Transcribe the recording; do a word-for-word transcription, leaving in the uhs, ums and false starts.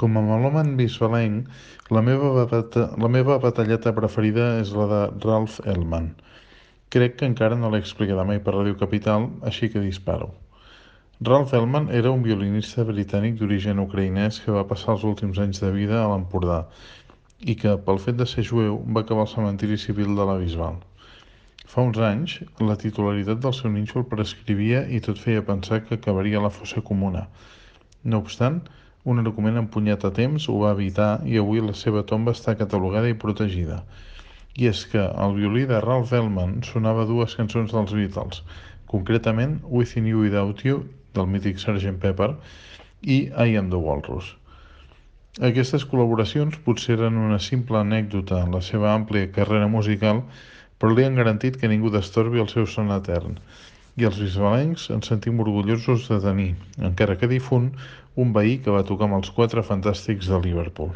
Com a melòman bisbalenc, la meva, bata, la meva batalleta preferida és la de Ralph Ellman. Crec que encara no l'he explicada mai per Ràdio Capital, així que disparo. Ralph Ellman era un violinista britànic d'origen ucraïnès que va passar els últims anys de vida a l'Empordà i que, pel fet de ser jueu, va acabar al cementiri civil de la Bisbal. Fa uns anys, la titularitat del seu nínxol prescrivia i tot feia pensar que acabaria a la fossa comuna. No obstant, un argument empunyat a temps ho va evitar i avui la seva tomba està catalogada i protegida. I és que el violí de Ralph Ellman sonava dues cançons dels Beatles, concretament Within You Without You, del mític sergent Pepper, i I Am the Walrus. Aquestes col·laboracions potser eren una simple anècdota en la seva àmplia carrera musical, però li han garantit que ningú destorbi el seu son etern. I els bisbalencs ens sentim orgullosos de tenir, encara que difunt, un veí que va tocar amb els Quatre Fantàstics de Liverpool.